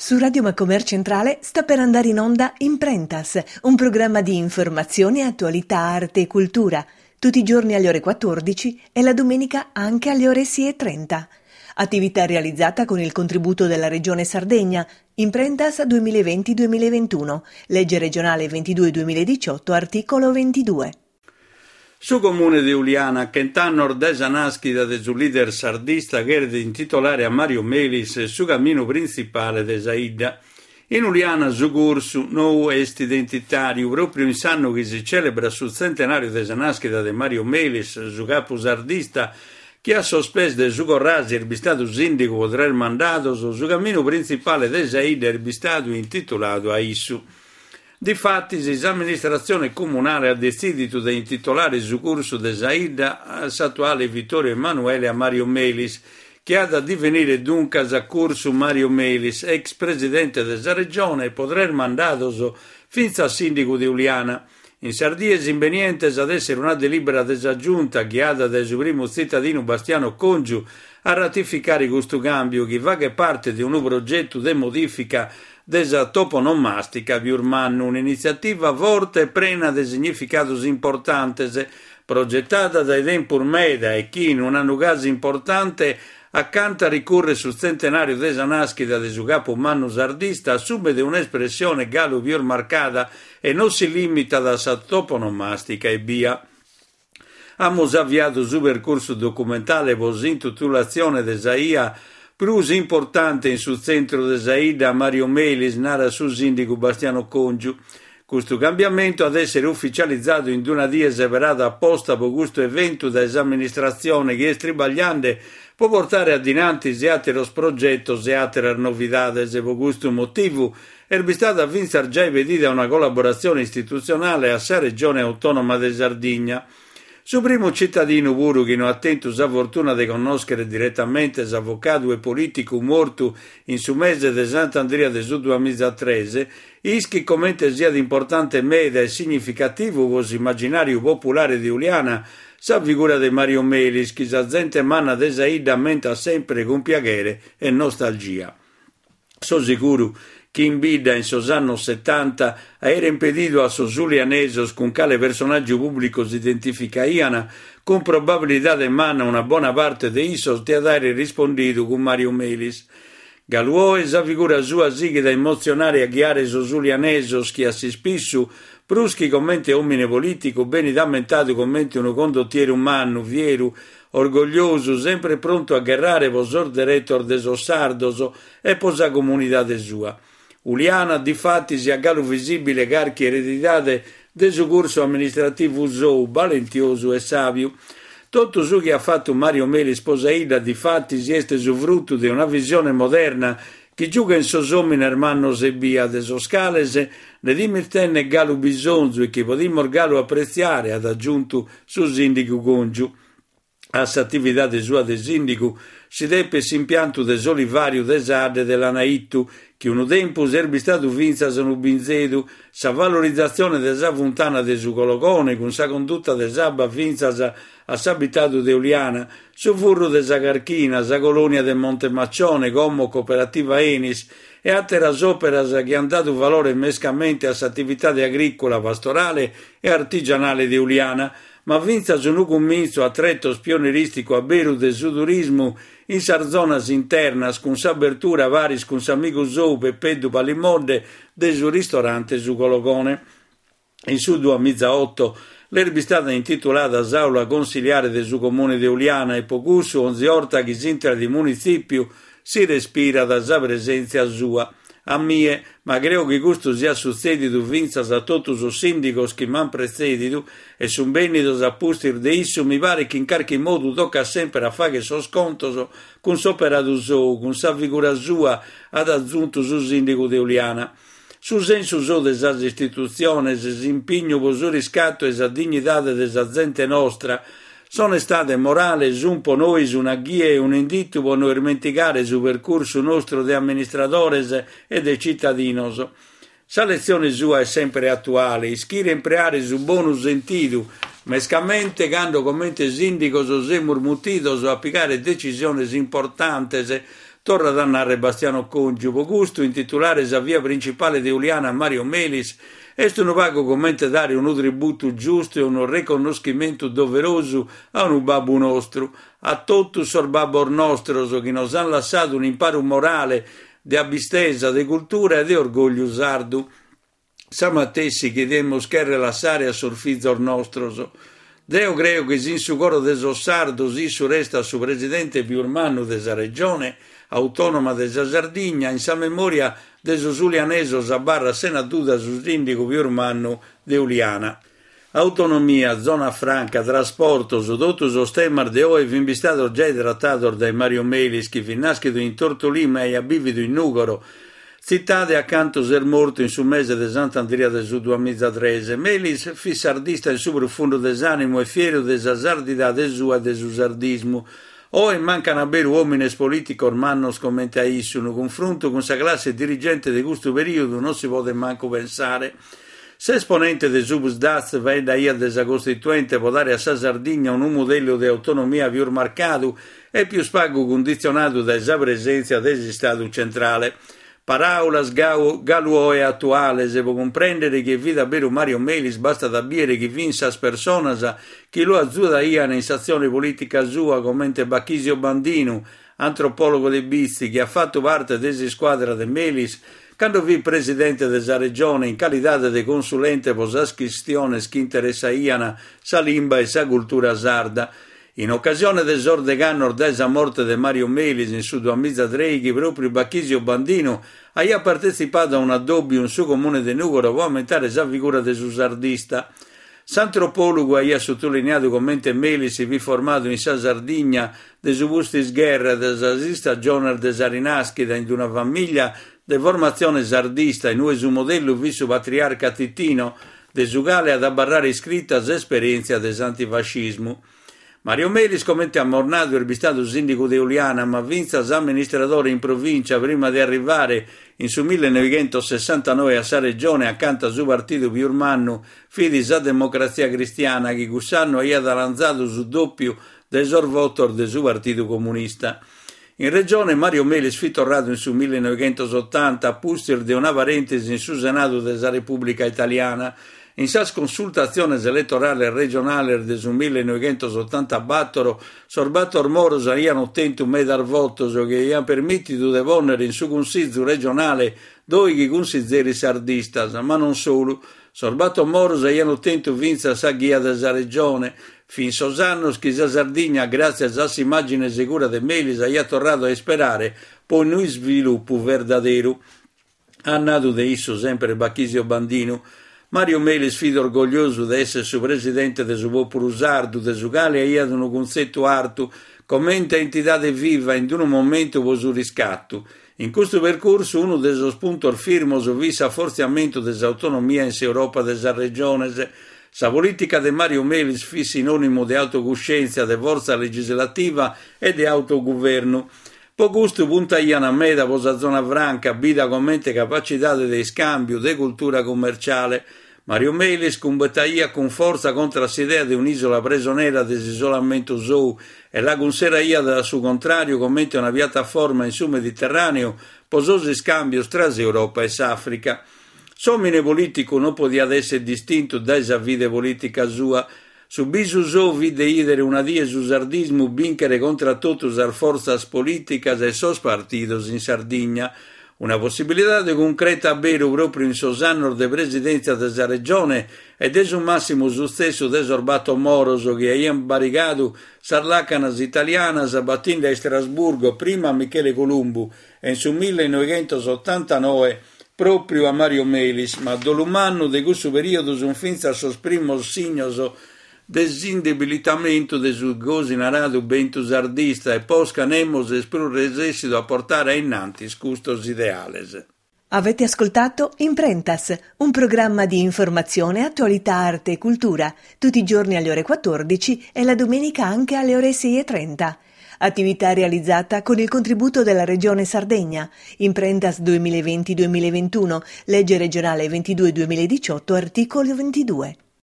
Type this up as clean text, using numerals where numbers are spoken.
Su Radio Macomer Centrale sta per andare in onda Imprentas, un programma di informazione, attualità, arte e cultura, tutti i giorni alle ore 14 e la domenica anche alle ore 6.30. Attività realizzata con il contributo della Regione Sardegna, Imprentas 2020-2021, legge regionale 22-2018, articolo 22. Su Comune de Uliana, a chent'annos dae sa nàschida de su leader sardista cheret intitolare a Mario Melis su caminu printzipale de sa 'idda. In Uliana su cursu nou est identitàriu, pròpriu in s'annu chi si cèlebrat su tzentenàriu de sa nàschida de Mario Melis, su capu sardista chi a sos pes de su Corrasi est bistadu sìndigu pro tres mandados, su caminu printzipale de sa 'idda est bistadu intituladu a issu. Difatis, s'amministratzione comunale at detzìdidu de intitolare su cursu de sa 'idda, s'atuale Vittorio Emanuele, a Mario Melis, chi at a divenire duncas Cursu Mario Melis, ex presidente de sa Regione e pro tres mandados fintzas sìndigu de Uliana. In sas dies imbenientes at èssere una delìbera de sa Giunta, ghiada dae su primu tzitadinu Bastiano Congiu, a ratificare custu càmbiu, chi faghet parte de unu progetu de modìfica de sa toponomàstica pius mannu, un'initziativa forte e prena de significados importantes, progetada dae tempus meda e chi, in un'annu gasi importante, acanta ricurret su tzentenàriu de sa nàschida de su capu mannu sardista, assumet un'espressione galu pius marcada e non si lìmitat a sa toponomàstica ebbia. Amus aviadu su percursu documentale pro s'intitulatzione de sa 'ia prus importante in su tzentru de sa 'idda a Mario Melis, narat su sìndigu Bastiano Congiu. Custu cambiamentu at èssere ufitzializadu in una die seberada aposta pro custu eventu dae s'amministratzione chi est tribagliende pro portare a dinantis àteros progetos e àteras novidades. Pro custu motivu Est bistada fintzas giai pedida una collaboratzione istitutzionale a sa Regione Autònoma de Sardigna. Su primu citadinu puru chi no at tentu sa fortuna de connòschere diretamente s'avocadu e polìticu mortu in su mese de Sant'Andria de su duamizatres, ischit comente siat importante meda e significativu pro s'immaginàriu populare de Uliana sa figura de Mario Melis chi sa zente manna de sa 'idda ammentat sempre cun piaghere e nostalgia. So seguru chi in bidda in sos annos setanta aeren pedidu a sos ulianesos cun cale personàgiu pùblicu s'identificaian, cun probabilidade manna una bona parte de issos diat àere rispondidu cun Mario Melis. Galu oe sa figura sua sighit a emotzionare e a ghiare sos ulianesos chi a s'ispissu, prus chi comente òmine polìticu, benit ammentadu comente unu condotieru mannu, fieru, Orgogliosu, sempre prontu a gherrare pro sos deretos de sos sardos e pro sa comunidade sua. Uliana, difatis, at galu visìbile carchi eredidade de su cursu amministrativu sou, balentiosu e sàbiu. Totu su chi at fatu Mario Melis pro sa 'idda, difatis, est su frutu de una visione moderna chi giughen sos òmines mannos ebbia, de sos cales nde dimis tènnere galu bisonzu e chi podimus galu apretziare, at agiuntu su sìndigu Congiu. A s'atividade sua de sìndigu si depet s'impiantu de s'olivàriu de s'Adde de Lanaittu, chi unu tempus est bistadu fintzas unu binzedu, sa valorizatzione de sa funtana de su Cologone cun sa conduta de s'abba fintzas a s'abitadu de Uliana, su furru de sa Carchina, sa colònia de Monte Maccione, como cooperativa Enis, e àteras òperas chi ant dadu valore mescamente a s'atividade agrìcula, pastorale e artigianale de Uliana, ma fintzas unu cumintzu a tretos pionerìsticu a beru de su turismu in sas zonas internas cun s'abertura paris cun s'amigu sou Peppeddu Palimodde de su ristorante Su Cologone. In su duamizaoto l'est bistada intitulada s'àula consiliare de su Comune de Uliana e po cussu onzi 'orta chi s'intrat in munitzìpiu si respirat sa presèntzia sua. A mie, ma creo chi custu siat sutzèdidu fintzas a totu sos sìndigos chi m'ant pretzèdidu e sunt bènnidos a pustis de issu, mi paret chi in carchi modu tocat semper a fàghere sos contos cun s'operadu sou, cun sa figura sua, at atzuntu su sìndigu de Uliana. Su sensu sou de sas istitutziones, s'impignu pro su riscatu e sa dignidade de sa zente nostra, s'onestade morale sunt pro nois una ghia e un'inditu pro no ismentigare su percursu nostru de amministradores e de citadinos. Sa letzione sua est semper atuale, ischire impreare su bonu sentidu, mescamente cando comente sìndigos semus mutidos a pigare decisiones importantes. Torrat a narrer Bastiano Congiu, Po custu intitulare sa via principale de Uliana a Mario Melis est unu pagu comente dare unu tributu giustu e unu reconnoschimentu doverosu a unu babbu nostru, a totus sos babbos nostros chi nos an lassadu un'imparu morale de abbistesa, de cultura e de orgogliu sardu. Sa matessi chi demus cherrer lassare a sos fizos nostros. Deo creo chi si in su coro de sos sardos issu restat su presidente pius mannu de sa Regione Autònoma de sa Sardigna, in sa memòria de sos ulianesos abarrat sena duda su sìndigu pius mannu de Uliana. Autonomia, zona franca, trasportos, totu sos temas de oe fin bistados giai tratados dae Mario Melis chi fit nàschidu in Tortolì ma aiat bìvidu in Nùgoro, tzitade acantu s'est mortu in su mese de Sant'Andria de su duamizatres. Melis fit sardista in su prufundu de s'ànimu e fieru de sa sardidade sua e de su sardismu. Oe mancan a beru òmines polìticos mannos comente a issu, unu cunfruntu cun sa classe dirigente de custu perìodu non si podet mancu pensare. S'esponente de su Psd'Az faeddaiat de sa Costituente pro dare a sa Sardigna unu modellu de autonomia pius marcadu e pius pagu cunditzionadu dae sa presèntzia de s'Istadu centrale. Paràulas galu oe atuales, pro cumprèndere chie fit a beru Mario Melis bastat a bìere chi fin sas personas chi lu azuaian in s'atzione polìtica sua comente Bachisio Bandinu, antropòlogu de Bitzi, chi at fatu parte de s'iscuadra de Melis cando fit presidente de sa Regione in calidade de consulente pro sas chistiones chi interessaian sa limba e sa cultura sarda. In ocasione de sos degh'annos dae sa morte de Mario Melis in su duamizatreighi, pròpriu Bachisio Bandinu aiat partetzipadu a un'addòbiu in su comune de Nùgoro pro ammentare sa figura de su sardista. S'antropòlogu aiat sutuliniadu comente Melis si fit formadu in sa Sardigna de su pustis-gherra e de sas istagiones de sa rinàschida in una famìllia de formatzione sardista in ue su modellu fit su patriarca Titino, de su cale at abarrare iscrita s'esperièntzia de s'antifascismu. Mario Melis, comente amus nadu, est bistadu sìndigu de Uliana, ma fintzas amministradore in provìncia prima de arrivare in su millenoighentossessantanoe a sa Regione acanta su partidu pius mannu fit sa Democratzia Cristiana chi cuss'annu aiat 'alanzadu su dòpiu de sos votos de su Partidu Comunista. In Regione Mario Melis fit torradu in su millenoighentosotanta a pustis de una parèntesi in su Senadu de sa Repùblica Italiana. In sas consultatziones eletorales regionales de su millenoighentosotantabatoro sos Bator Moros aian otentu medas votos chi aian permìtidu de pònnere in su Cunsizu regionale dòighi cunsizeris sardistas, ma non solu. Sos Bator Moros aian otentu fintzas sa ghia de sa Regione. Fin sos annos chi sa Sardigna, gràtzias a s'immàgine segura de Melis, aiat torradu a isperare po unu isvilupu verdaderu. At nadu de issu semper Bachisio Bandinu. Mario Melis fit orgogliosu de esser su presidente de su pòpulu sardu, de su cale aiat unu cuntzetu artu, comente a entidade viva in unu momentu po su riscatu. In custu percursu unu de sos puntos firmos fit s'afortziamentu de s'autonomia in s'Europa de sas regiones. Sa polìtica de Mario Melis fit sinònimu de autocuscèntzia, de fortza legislativa e de autoguvernu. Po custu puntaian meda po sa zona franca, bida comente capacidade de iscàmbiu, de cultura cummerciale. Mario Melis cumbataiat cun fortza contra s'idea de un'ìsola presonera de s'isolamentu sou e la cunseraiat a su contràriu comente una piataforma in su Mediterràneu pro sos iscàmbios tra s'Europa e s'Àfrica. S'òmine polìticu non podiat èssere distintu dae sa fide polìtica sua. Su bisu sou fit de 'ìdere una die su sardismu bìnchere contra totu sas fortzas polìticas e sos partidos in Sardigna. Una possibilidade cuncreta a beru pròpriu in sos annos de presidèntzia de sa Regione e de su màssimu sutzessu de sos Bator Moros chi aiant barigadu sas làcanas italianas batinde a Istrasburgo prima a Michele Columbu e in su millenoighentosottantanoe pròpriu a Mario Melis, ma a dolu mannu de cussu perìodu sunt fintzas sos primos signos de s'indebilitamentu de su gosi naradu bentu sardista e posca nemos est prus resèssidu a portare a innantis custos ideales. Avete ascoltato Imprentas, un programma di informazione, attualità, arte e cultura, tutti i giorni alle ore 14 e la domenica anche alle ore 6.30. Attività realizzata con il contributo della Regione Sardegna. Imprentas 2020-2021, legge regionale 22 2018, articolo 22.